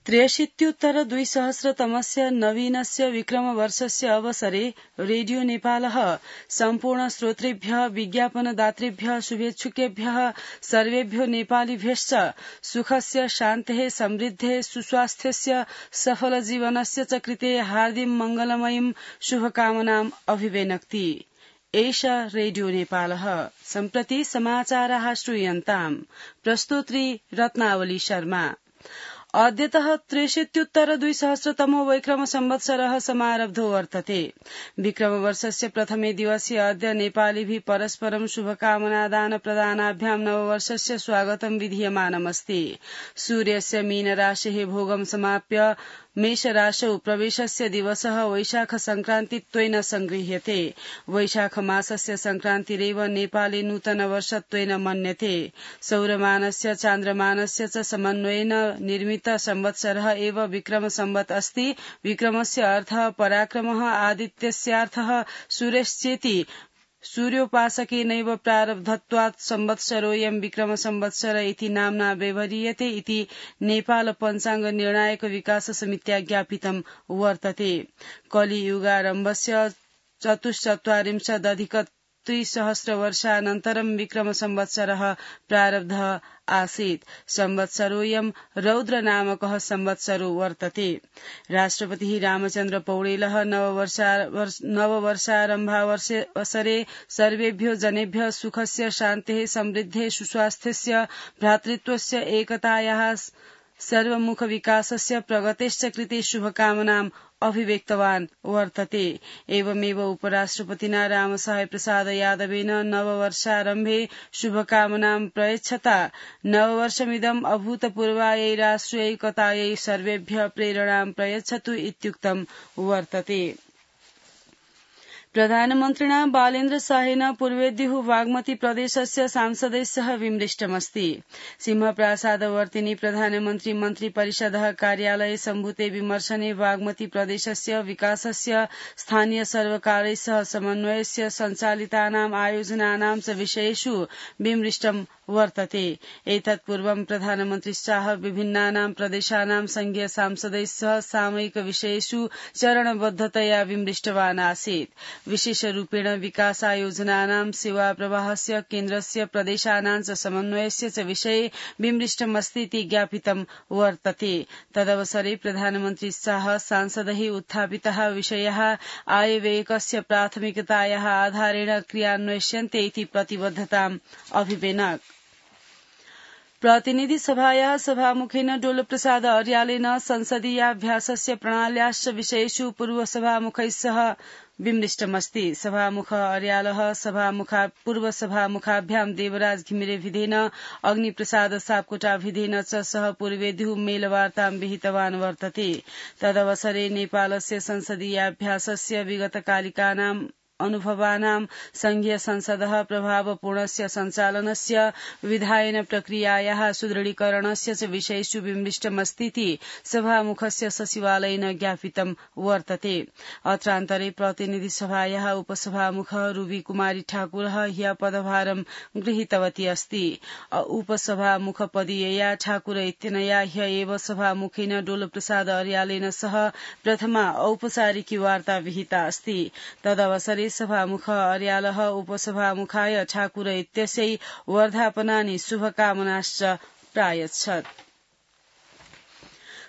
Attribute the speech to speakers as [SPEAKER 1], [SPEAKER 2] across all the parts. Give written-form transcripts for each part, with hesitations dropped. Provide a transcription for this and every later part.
[SPEAKER 1] 63-2000तमस्य नवीनस्य विक्रमवर्षस्य अवसरे रेडियो नेपालः सम्पूर्ण श्रोतृभ्यः विज्ञापनदातृभ्यः शुभेच्छुकेभ्यः सर्वेभ्यो नेपालीभ्यश्च सुखस्य शान्तेः समृद्धेः सुस्वास्थ्यस्य सफल जीवनस्य च कृते हार्दिक मंगलमयीं शुभकामनाम् अभिवेनक्ति। एषा रेडियो नेपालः। सम्प्रति समाचाराः श्रूयन्ताम्। प्रस्तोत्री रत्नावली शर्मा। अद्यतः 63-2000तमो वैक्रम संवत्सरः समारब्धो वर्तते। विक्रमवर्षस्य प्रथमे दिवसे अद्य नेपालीभिः परस्परं शुभकामनादान प्रदानाभ्यां नववर्षस्य स्वागतं विधीयमानमस्ति। सूर्यस्य मीनराशेः भोगं समाप्य मेषराशौ प्रवेशस्य दिवसः वैशाख संक्रान्तित्वेन संगृह्यते। वैशाख मासस्य संक्रान्तिरेव नेपाले नूतन वर्षत्वेन मन्यते। सौरमानस्य चान्द्रमानस्य च समन्वयेन निर्मित संवत्सरः एव विक्रम संवत् अस्ति। विक्रमस्य अर्थः पराक्रमः, आदित्यस्यार्थः सूर्यश्चेति। सूर्योपासकेनैव प्रारब्धत्वात् संवत्सरोऽयं विक्रम संवत्सर इति नाम्ना व्यवह्रियते इति नेपाल पञ्चाङ्ग निर्णायक विकास समित्या ज्ञापितं वर्तते। कलियुगारम्भस्य 44+ वर्षानन्तरं विक्रम संवत्सरः प्रारब्धः आसीत्। संवत्सरोऽयं रौद्र नामकः संवत्सरो वर्तते। राष्ट्रपतिः रामचन्द्र पौडेलः नववर्षारम्भावसरे सर्वेभ्यो जनेभ्यः सुखस्य शान्तेः समृद्धेः सुस्वास्थ्यस्य भ्रातृत्वस्य एकतायाः सर्वमुख विकासस्य प्रगतेश्च कृते शुभकामनाम् अभिव्यक्तवान् वर्तते। एवमेव उपराष्ट्रपतिना रामसाय प्रसाद यादवेन नववर्षारम्भे शुभकामनां प्रयच्छता नववर्षमिदम् अभूतपूर्वायै राष्ट्रियैकतायै सर्वेभ्यः प्रेरणां प्रयच्छतु इत्युक्तं वर्तते। प्रधानमन्त्रिणा बालेन्द्र शाहेन पूर्वेद्युः बागमती प्रदेशस्य सांसदैः सह विमृष्टमस्ति। सिंहप्रासादवर्तिनि प्रधानमन्त्री मन्त्रिपरिषदः कार्यालये सम्भूते विमर्शने बागमती प्रदेशस्य विकासस्य स्थानीय सर्वकारैः सह समन्वयस्य सञ्चालितानाम् आयोजनानां च विषयेषु विमृष्टं वर्तते। एतत् पूर्वं प्रधानमन्त्री शाह विभिन्नानां प्रदेशानां संघीय सांसदैः सह सामयिक विषयेषु चरणबद्धतया विमृष्टवान् आसीत्। विशेषरूपेण विकासायोजनानां सेवा प्रवाहस्य केन्द्रस्य प्रदेशानां च समन्वयस्य च विषये विमृष्टमस्तीति ज्ञापितं वर्तते। तदवसरे प्रधानमन्त्री शाह सांसदैः उत्थापितः विषयः आयव्ययकस्य प्राथमिकतायाः आधारेण क्रियान्वयस्यन्ते इति प्रतिबद्धताम् अभिवेनक्। प्रतिनिधि सभायाः सभामुखेन डोलप्रसाद अर्यालेन संसदीयाभ्यासस्य प्रणाल्याश्च विषयेषु पूर्वसभामुखैः सह विमृष्टमस्ति। सभामुख अर्यालः पूर्वसभामुखाभ्यां देवराज घिमिरेभिधेन अग्निप्रसाद सापकोटाभिधेन च सह पूर्वेद्युः मेलवार्तां विहितवान् वर्तते। तदवसरे नेपालस्य संसदीयाभ्यासस्य विगतकालिकानाम् अनुभवानां संघीय संसदः प्रभावपूर्णस्य सञ्चालनस्य विधायन प्रक्रियायाः सुदृढीकरणस्य च विषयेषु विमृष्टमस्तीति सभामुखस्य सचिवालयेन ज्ञापितं वर्तते। अत्रान्तरे प्रतिनिधि सभायाः उपसभामुखः रूबी कुमारी ठाकुरः ह्यः पदभारं गृहीतवती अस्ति। उपसभामुखपदीयया ठाकुर इत्यनया ह्य एव सभामुखेन डोलप्रसाद अर्यालेन सह प्रथमा औपचारिकी वार्ता विहिता अस्ति। तदवसरे सभामुख अर्यालः उपसभामुखाय ठाकुर इत्यस्यै वर्धापनानि शुभकामनाश्च प्रायच्छत्।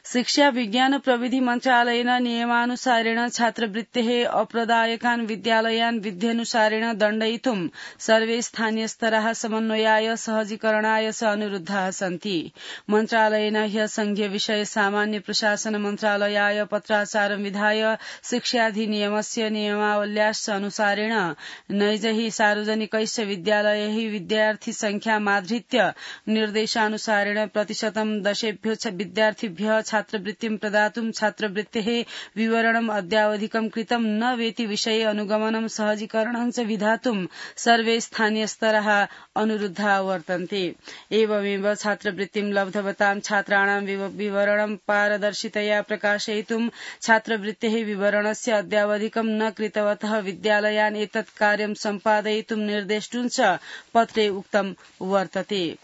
[SPEAKER 1] शिक्षा विज्ञान प्रविधि मन्त्रालयेन नियमानुसारेण छात्रवृत्तेः अप्रदायकान् विद्यालयान् विध्यनुसारेण दण्डयितुं सर्वे स्थानीयस्तराः समन्वयाय सहजीकरणाय च अनुरुद्धाः सन्ति। मन्त्रालयेन ह्यः संघीय विषय सामान्य प्रशासन मन्त्रालयाय पत्राचारं विधाय शिक्षाधिनियमस्य नियमावल्याश्च अनुसारेण नैजैः सार्वजनिकैश्च विद्यालयैः विद्यार्थी संख्यामाधृत्य निर्देशानुसारेण प्रतिशतं 10 विद्यार्थिभ्यः छात्रवृत्तिं प्रदातुं छात्रवृत्तेः विवरणम् अद्यावधिकं कृतं न वेति विषये अनुगमनं सहजीकरणं च विधातुं सर्वे स्थानीयस्तराः अनुरुद्धाः वर्तन्ते। एवमेव छात्रवृत्तिं लब्धवतां छात्राणां विवरणं पारदर्शितया प्रकाशयितुं छात्रवृत्तेः विवरणस्य अद्यावधिकं न कृतवतः विद्यालयान् एतत् कार्यं सम्पादयितुं निर्देष्टुं च पत्रे उक्तं वर्तते।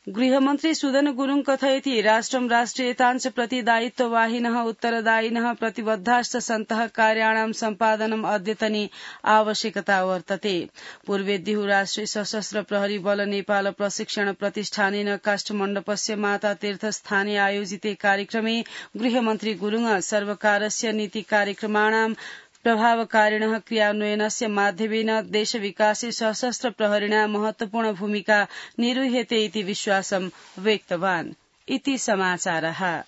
[SPEAKER 1] गृहमन्त्री सुदन गुरुङ कथयति राष्ट्रं राष्ट्रियताञ्च प्रति दायित्ववाहिनः उत्तरदायिनः प्रतिबद्धाश्च सन्तः कार्याणां सम्पादनम् अद्यतनी आवश्यकता वर्तते। पूर्वेद्युः राष्ट्रिय सशस्त्र प्रहरी बल नेपाल प्रशिक्षण प्रतिष्ठानेन काष्ठमण्डपस्य माता तीर्थस्थाने आयोजिते कार्यक्रमे गृहमन्त्री गुरुङ सर्वकारस्य नीति कार्यक्रमाणां प्रभावकारिणः क्रियान्वयनस्य माध्यमेन देशविकासे सशस्त्र प्रहरिणा महत्वपूर्ण भूमिका निर्वह्यते इति विश्वासं व्यक्तवान्। इति समाचारः।